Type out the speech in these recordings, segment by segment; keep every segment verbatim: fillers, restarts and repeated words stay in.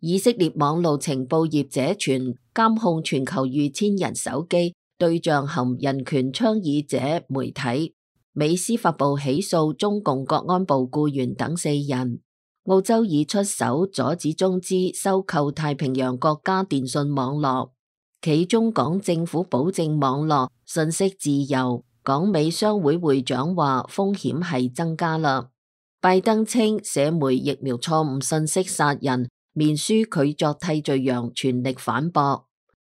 以色列網路情報業者傳監控全球逾千人手機，對象含人權倡議者、媒體。美司法部起訴中共國安部僱員等四人。澳洲已出手阻止中資收購太平洋國家電信網絡。企中港政府保證網絡信息自由。港美商會會長話風險係增加啦。拜登稱社媒疫苗錯誤信息殺人，面書拒作替罪羊，全力反駁。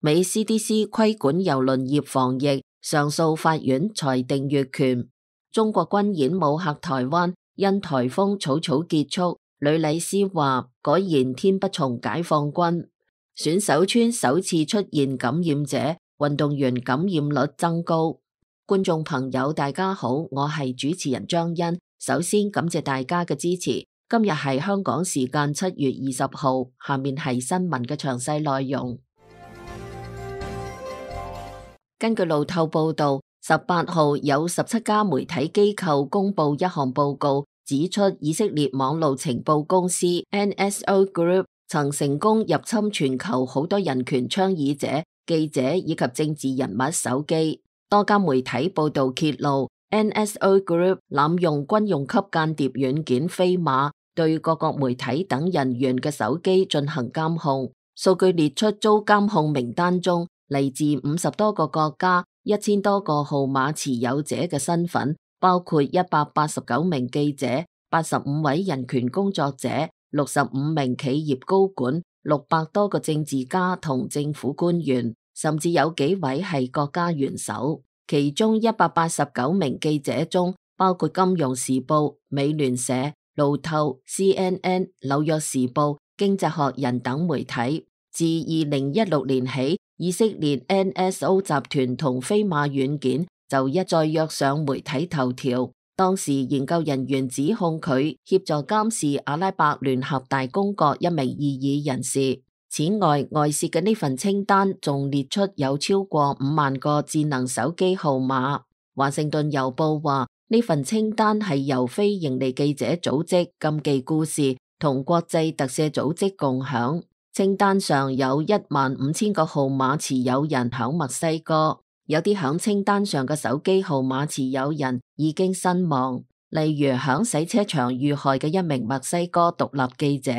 美 C D C 規管郵輪業防疫，上訴法院裁定越權。中國軍演武嚇台灣，因颱風草草結束。呂禮思話果然天不從解放軍。選手村首次出現感染者，運動員感染率增高。觀眾朋友大家好，我係主持人張欣。首先感謝大家嘅支持。今日係香港時間七月二十號，下面係新聞嘅詳細內容。根據路透報道，十八號有十七家媒體機構公布一項報告，指出以色列網路情報公司 N S O Group 曾成功入侵全球好多人權倡議者、記者以及政治人物手機。多家媒體報道揭露 N S O Group 濫用軍用級間諜軟件飛馬，對各國媒體等人員嘅手機進行監控。數據列出遭監控名單中嚟自五十多個國家、一千多個號碼持有者嘅身份，包括一百八十九名記者、八十五位人權工作者、六十五名企業高管、六百多個政治家同政府官員，甚至有幾位係國家元首。其中一百八十九名記者中，包括金融時報、美聯社、路透、C N N、紐約時報、經濟學人等媒體。自二零一六年起，以色列 N S O 集團同飛馬軟件就一再躍上媒體頭條。當時研究人員指控佢協助監視阿拉伯聯合大公國一名異議人士。此外，外泄嘅呢份清單仲列出有超過五萬個智能手機號碼。華盛頓郵報話，呢份清單係由非營利記者組織禁忌故事同國際特赦組織共享。清單上有一萬五千個號碼持有人響墨西哥，有啲響清單上嘅手機號碼持有人已經身亡，例如響洗車場遇害嘅一名墨西哥獨立記者。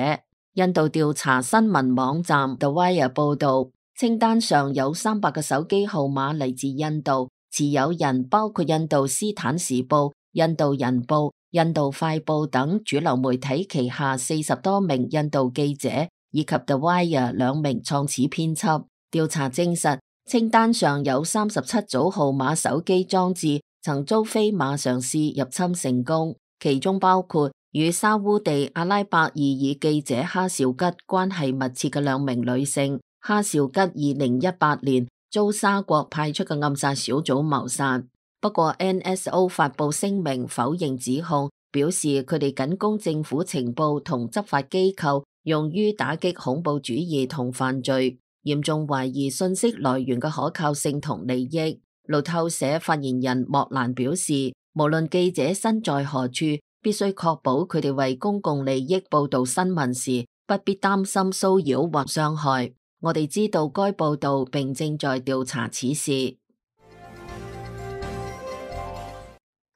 印度調查新聞網站 The Wire 報道，清單上有三百個手機號碼嚟自印度，持有人包括印度斯坦時報、印度人報、印度快報等主流媒體旗下四十多名印度記者，以及 The Wire 兩名創始編輯。調查證實，清單上有三十七組號碼手機裝置曾遭飛馬嘗試入侵成功，其中包括與沙烏地阿拉伯異議記者哈紹吉關係密切嘅兩名女性。哈紹吉二零一八年遭沙國派出嘅暗殺小組謀殺，不過 N S O 發布聲明否認指控，表示佢哋僅供政府情報同執法機構用於打擊恐怖主義同犯罪，嚴重懷疑信息來源嘅可靠性同利益。路透社發言人莫蘭表示，無論記者身在何處，必須確保佢哋為公共利益報道新聞時，不必擔心騷擾或傷害。我哋知道該報道並正在調查此事。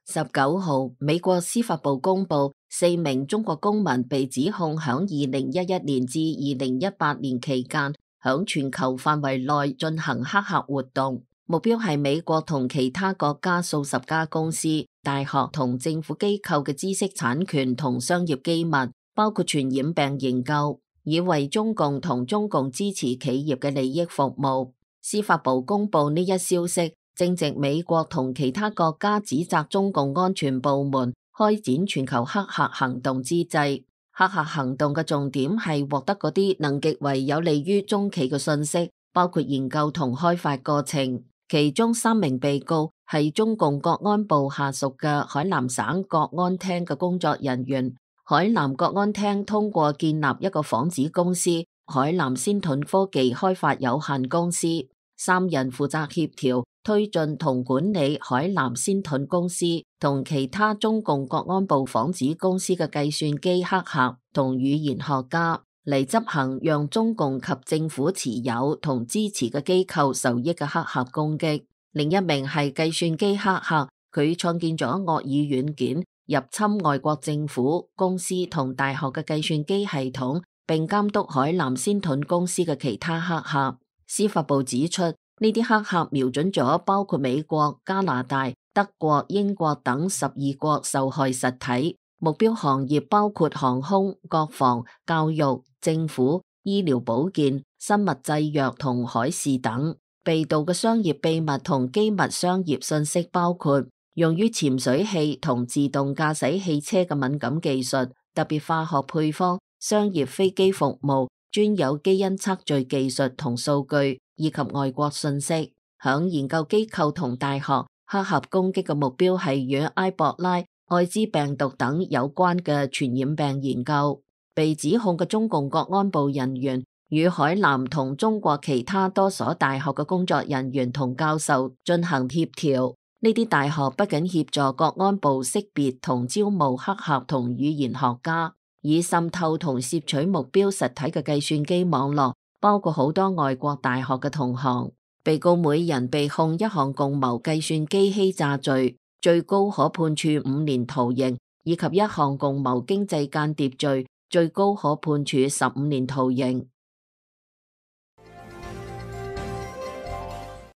十九號，美國司法部公布，四名中國公民被指控響二零一一年至二零一八年期間，響全球範圍內進行黑客活動，目標係美國同其他國家數十家公司、大學同政府機構嘅知識產權同商業機密，包括傳染病研究，以為中共同中共支持企業嘅利益服務。司法部公布呢一消息，正值美國同其他國家指責中共安全部門開展全球黑客行動之際。黑客行動嘅重點係獲得嗰啲能極為有利於中企嘅信息，包括研究同開發過程。其中三名被告係中共國安部下屬嘅海南省國安廳嘅工作人員。海南國安廳通過建立一個仿子公司海南先盾科技開發有限公司，三人負責協調、推進同管理海南先盾公司同其他中共國安部仿子公司嘅計算機黑客同語言學家。嚟執行讓中共及政府持有同支持嘅機構受益嘅黑客攻擊。另一名係計算機黑客，佢創建咗惡意軟件入侵外國政府、公司同大學嘅計算機系統，並監督海南仙盾公司嘅其他黑客。司法部指出，呢啲黑客瞄準咗包括美國、加拿大、德國、英國等十二國受害實體，目標行業包括航空、國防、教育、政府、醫療保健、生物製藥同海事等。被盜嘅商業秘密同機密商業信息包括用於潛水器同自動駕駛汽車嘅敏感技術、特別化學配方、商業飛機服務、專有基因測序技術同數據，以及外國信息。響研究機構同大學，黑客攻擊嘅目標係與埃博拉、艾滋病毒等有關嘅傳染病研究。被指控嘅中共國安部人員與海南同中國其他多所大學嘅工作人員同教授進行協調。呢啲大學不僅協助國安部識別同招募黑客同語言學家，以滲透同攝取目標實體嘅計算機網絡，包括好多外國大學嘅同行。被告每人被控一項共謀計算機欺詐罪，最高可判處五年徒刑，以及一項共謀經濟間諜罪，最高可判處十五年徒刑。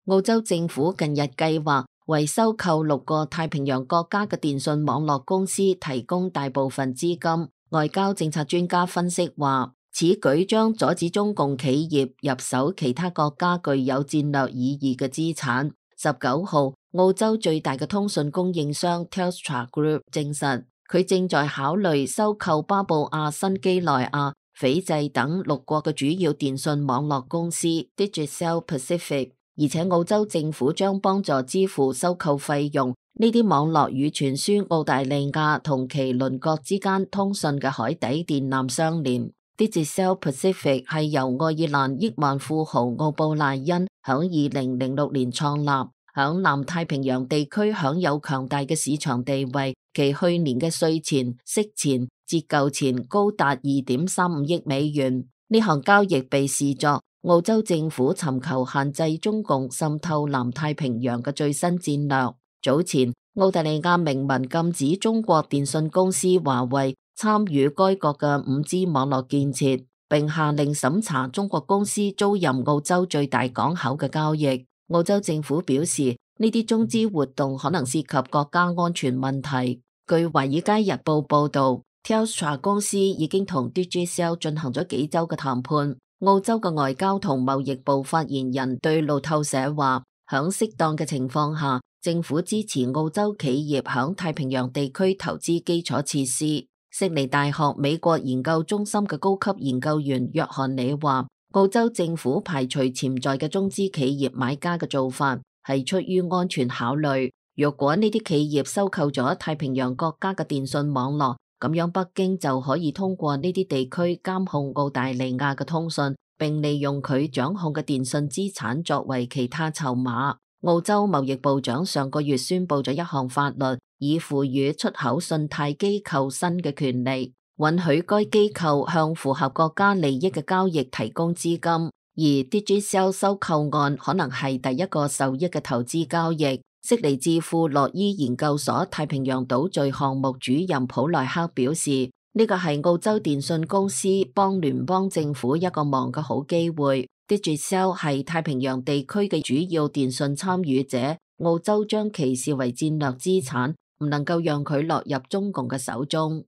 澳洲政府近日計劃為收購六個太平洋國家嘅電信網絡公司提供大部分資金。外交政策專家分析話，此舉將阻止中共企業入手其他國家具有戰略意義嘅資產。十九號，澳洲最大嘅通訊供應商 Telstra Group 證實，佢正在考慮收購巴布亞新幾內亞、斐濟等六國嘅主要電信網絡公司 Digicel Pacific。而且澳洲政府將幫助支付收購費用。呢啲網絡與傳輸澳大利亞同其鄰國之間通訊嘅海底電纜相連。Digicel Pacific 係由愛爾蘭億萬富豪奧布賴恩響二零零六年創立，響南太平洋地區享有強大嘅市場地位。其去年嘅稅前、息前、折舊前高達二點三五億美元。呢項交易被視作澳洲政府尋求限制中共滲透南太平洋嘅最新戰略。早前，澳大利亞明文禁止中國電信公司華為參與該國嘅五 G 網絡建設，並下令審查中國公司租賃澳洲最大港口嘅交易。澳洲政府表示，呢啲中資活動可能涉及國家安全問題。據《華爾街日報》報道，Telstra 公司已經同 Digicel 進行咗幾周嘅談判。澳洲嘅外交同貿易部發言人對路透社話，響適當嘅情況下，政府支持澳洲企業響太平洋地區投資基礎設施。悉尼大學美國研究中心嘅高級研究員約翰里話，澳洲政府排除潛在嘅中資企業買家嘅做法係出於安全考慮。若果呢啲企業收購咗太平洋國家嘅電信網絡，咁樣北京就可以通過呢啲地區監控澳大利亞嘅通訊，並利用佢掌控嘅電信資產作為其他籌碼。澳洲貿易部長上個月宣布咗一項法律，以賦予出口信貸機構新嘅權利，允許該機構向符合國家利益嘅交易提供資金。而 Digicel 收購案可能係第一個受益嘅投資交易。悉尼智庫洛伊研究所太平洋島嶼項目主任普萊克表示，呢個係澳洲電信公司幫聯邦政府一個忙嘅好機會。Digicel 係太平洋地區嘅主要電信參與者，澳洲將其視為戰略資產，唔能夠讓佢落入中共嘅手中。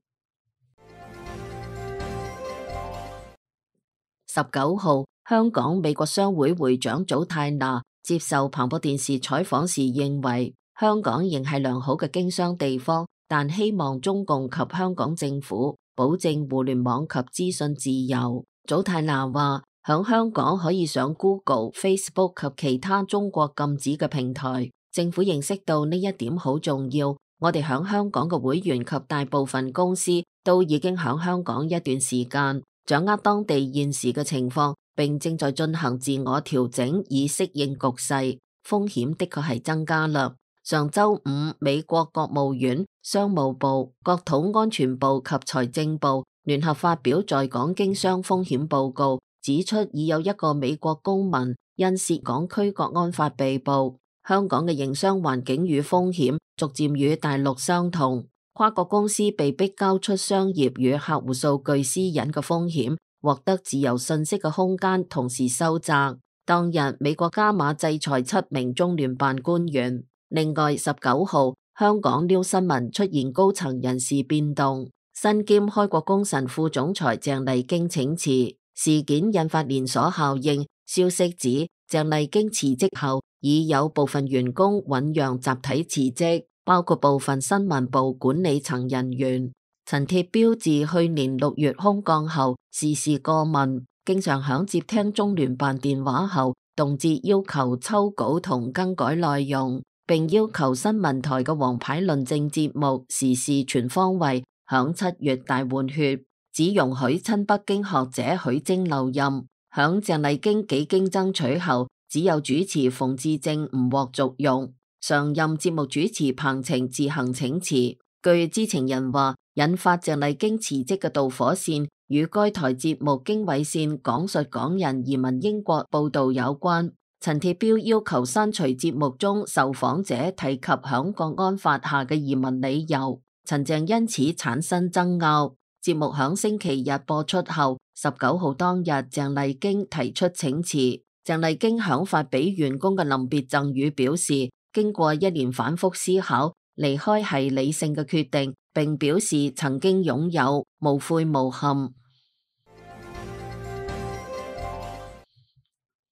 十九號，香港美國商會會長祖泰娜接受彭博電視採訪時認為，香港仍係良好嘅經商地方，但希望中共及香港政府保證互聯網及資訊自由。祖泰娜話，響香港可以上 Google、Facebook 及其他中國禁止嘅平台，政府認識到呢一點好重要。我哋響香港嘅會員及大部分公司都已經響香港一段時間，掌握當地現時嘅情況，並正在進行自我調整以適應局勢。風險的確係增加啦。上周五，美國國務院、商務部、國土安全部及財政部聯合發表在港經商風險報告，指出已有一個美國公民因涉港區國安法被捕。香港嘅營商環境與風險逐漸與大陸相同，跨國公司被迫交出商業與客戶數據私隱嘅風險，獲得自由信息嘅空間同時收窄。當日美國加碼制裁七名中聯辦官員。另外十九號香港 New 新聞出現高層人事變動，身兼開國功臣副總裁鄭麗京請辭，事件引發連鎖效應。消息指鄭麗京辭職後，已有部分員工醞釀集體辭職，包括部分新聞部管理層人員。陳鐵標自去年六月空降後，事事過問，經常響接聽中聯辦電話後，動輒要求抽稿同更改內容，並要求新聞台嘅王牌論政節目時事全方位響七月大換血，只容許親北京學者許楨留任。響鄭麗京幾經爭取後，只有主持馮智政唔獲續用，常任節目主持彭程自行請辭。據知情人話，引發鄭麗京辭職嘅導火線與該台節目經緯線講述港人移民英國報道有關。陳鐵標要求刪除節目中受訪者提及響國安法下嘅移民理由，陳鄭因此產生爭拗。節目響星期日播出後，十九號當日鄭麗京提出請辭。鄭麗京響發俾員工嘅臨別贈語表示，經過一年反覆思考，離開係理性嘅決定，並表示曾經擁有，無悔無憾。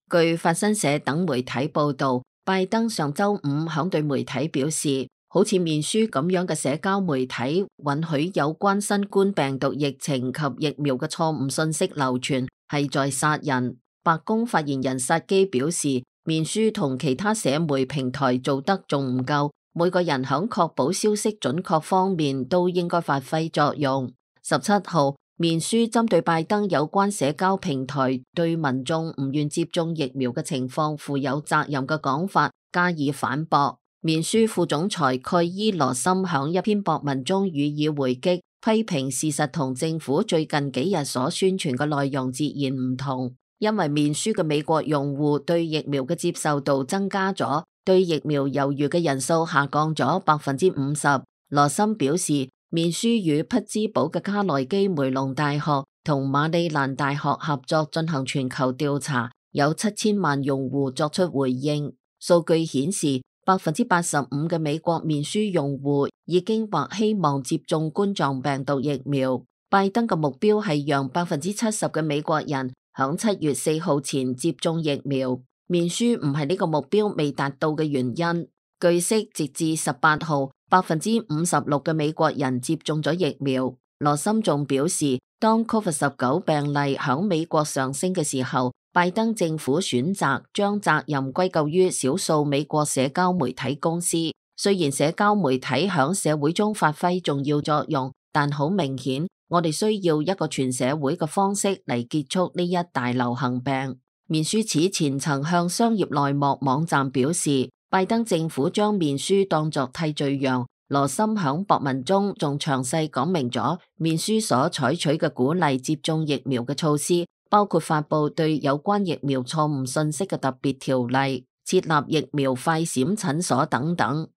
據法新社等媒體報道，拜登上周五響對媒體表示，好似面書咁樣嘅社交媒體允許有關新冠病毒疫情及疫苗嘅錯誤信息流傳，係在殺人。白宮發言人薩基表示，面書同其他社媒平台做得仲唔夠，每個人響確保消息準確方面都應該發揮作用。十七號，面書針對拜登有關社交平台對民眾唔願接種疫苗嘅情況負有責任嘅講法加以反駁。面書副總裁蓋伊羅森響一篇博文中予以回擊，批評事實同政府最近幾日所宣傳嘅內容截然唔同，因為面書嘅美國用戶對疫苗嘅接受度增加咗，對疫苗猶豫嘅人數下降咗百分之五十。羅森表示，面書與匹茲堡嘅卡內基梅隆大學同馬里蘭大學合作進行全球調查，有七千萬用戶作出回應。數據顯示，百分之八十五嘅美國面書用戶已經或希望接種冠狀病毒疫苗。拜登嘅目標係讓百分之七十嘅美國人響七月四號前接種疫苗。面書唔係呢個目標未達到嘅原因。據悉，截至十八號，百分之五十六嘅美國人接種咗疫苗。羅森仲表示，當 Covid 十九 病例響美國上升嘅時候，拜登政府選擇將責任歸咎於少數美國社交媒體公司。雖然社交媒體響社會中發揮重要作用，但好明顯，我哋需要一個全社會嘅方式嚟結束呢一大流行病。面書此前曾向商業內幕網站表示，拜登政府將面書當作替罪羊。羅森響博文中仲詳細講明咗面書所採取嘅鼓勵接種疫苗嘅措施，包括發佈對有關疫苗錯誤信息嘅特別條例、設立疫苗快閃診所等等。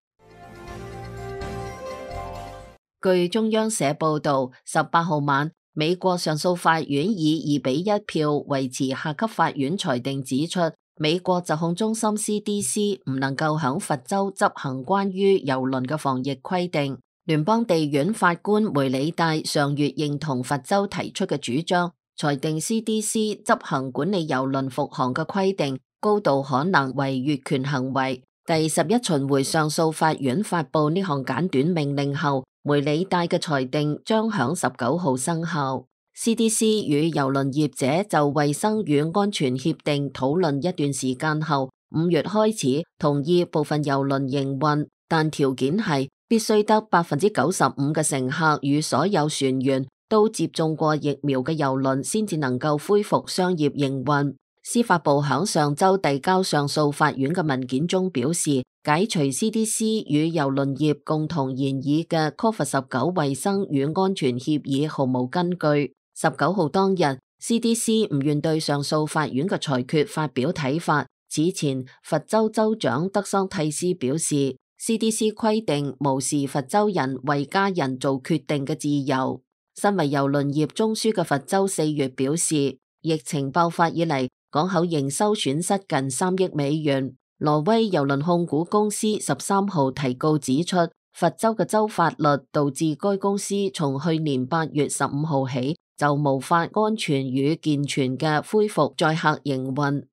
據中央社報道，十八號晚，美國上訴法院以二比一票維持下級法院裁定，指出美國疾控中心 C D C 唔能夠響佛州執行關於郵輪嘅防疫規定。聯邦地院法官梅里戴上月認同佛州提出嘅主張，裁定 C D C 執行管理郵輪復航嘅規定高度可能為越權行為。第十一巡迴上訴法院發佈呢項簡短命令後，梅里戴嘅裁定將響十九號生效。C D C 與郵輪業者就衛生與安全協定討論一段時間後，五月開始同意部分郵輪營運，但條件係必須得百分之九十五嘅乘客與所有船員都接種過疫苗嘅郵輪先至能夠恢復商業營運。司法部響上周遞交上訴法院嘅文件中表示，解除 C D C 與郵輪業共同研議嘅 Covid 十九 衛生與安全協議毫無根據。十九號當日 ，C D C 唔願對上訴法院嘅裁決發表睇法。此前，佛州州長德桑蒂斯表示 ，C D C 規定無視佛州人為家人做決定嘅自由。身為郵輪業中樞嘅佛州四月表示，疫情爆發以嚟，港口營收損失近三億美元。挪威郵輪控股公司十三號提告指出，佛州嘅州法律導致該公司從去年八月十五號起就無法安全與健全嘅恢復載客營運。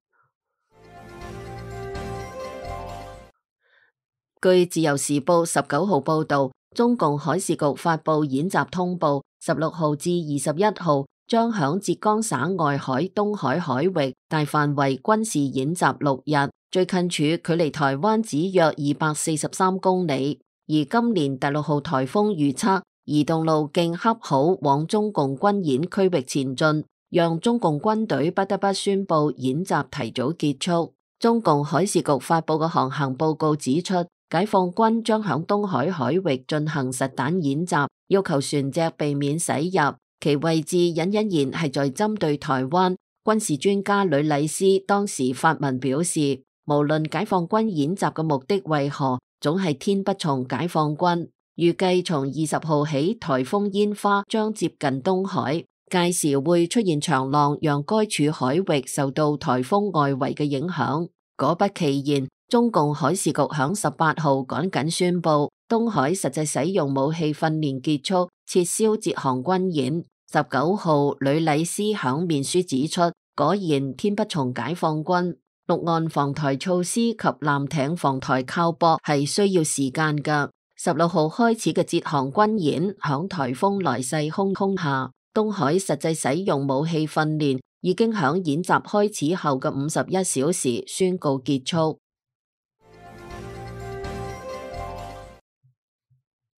據自由時報十九號報道，中共海事局發布演習通報，十六號至二十一號將響浙江省外海、東海海域大範圍軍事演習六日，最近處距離台灣只約二百四十三公里。而今年第六號颱風預測移動路徑恰好往中共軍演區域前進，讓中共軍隊不得不宣布演習提早結束。中共海事局發布嘅航行報告指出，解放軍將響東海海域進行實彈演習，要求船隻避免駛入，其位置隱隱然係在針對台灣。軍事專家呂禮思當時發文表示，無論解放軍演習嘅目的為何，總係天不從解放軍。預計從二十號起，颱風煙花將接近東海，屆時會出現長浪，讓該處海域受到颱風外圍嘅影響。果不其然，中共海事局響十八號趕緊宣布，東海實際使用武器訓練結束，撤銷浙航軍演。十九號，呂禮思響面書指出，果然天不從解放軍，陸岸防台措施及艦艇防台靠泊係需要時間㗎。十六號開始嘅浙航軍演，響颱風來勢洶洶下，東海實際使用武器訓練已經響演習開始後嘅五十一小時宣告結束。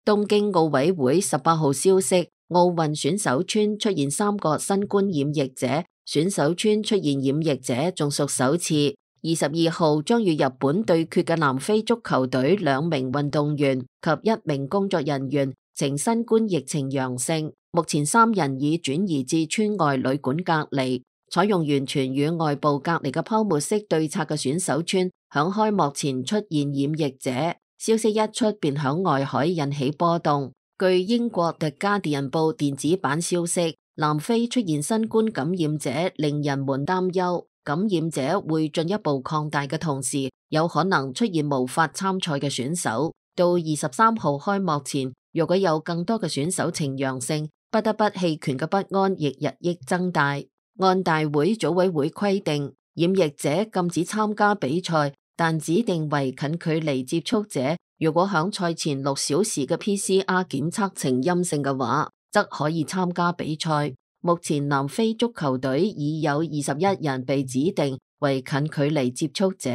東京奧委會十八號消息，奧運選手村出現三個新冠染疫者，選手村出現染疫者仲屬首次。二十二號將與日本對決嘅南非足球隊兩名運動員及一名工作人員呈新冠疫情陽性，目前三人已轉移至村外旅館隔離。採用完全與外部隔離嘅泡沫式對策嘅選手村，響開幕前出現染疫者。消息一出便響外海引起波動。據英國 The Guardian 報電子版消息，南非出現新冠感染者，令人們擔憂感染者會進一步擴大嘅同時，有可能出現無法參賽嘅選手。到二十三號開幕前，如果有更多嘅選手呈陽性，不得不棄權嘅不安亦日益增大。按大會組委會規定，染疫者禁止參加比賽，但指定為近距離接觸者，如果響賽前六小時嘅 P C R 檢測呈陰性嘅話，則可以參加比賽。目前南非足球隊已有二十一人被指定為近距離接觸者。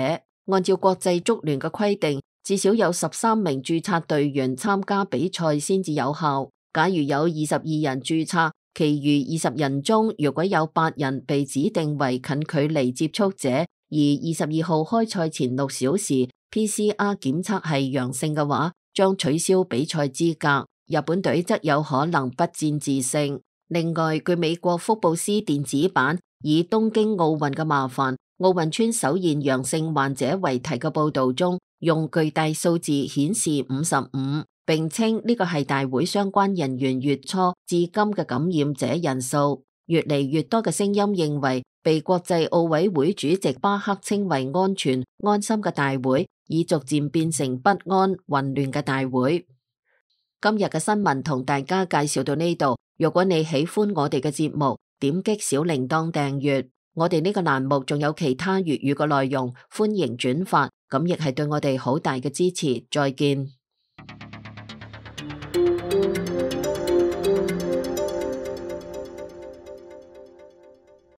按照國際足聯嘅規定，至少有十三名註冊隊員參加比賽先至有效。假如有二十二人註冊，其餘二十人中，如果有八人被指定為近距離接觸者，而二十二號開賽前六小時 P C R 檢測係陽性嘅話，將取消比賽資格。日本隊則有可能不戰自勝。另外，據美國福布斯電子版以東京奧運嘅麻煩，奧運村首現陽性患者為題嘅報道中，用巨大數字顯示五十五，並稱呢個係大會相關人員月初至今嘅感染者人數。越嚟越多嘅聲音認為，被國際奧委會主席巴克稱為安全安心嘅大會，已逐漸變成不安混亂嘅大會。今日嘅新聞同大家介紹到呢度。如果你喜歡我哋嘅節目，點擊小鈴鐺訂閱。我哋呢個欄目仲有其他粵語嘅內容，歡迎轉發，咁亦係對我哋好大嘅支持。再見。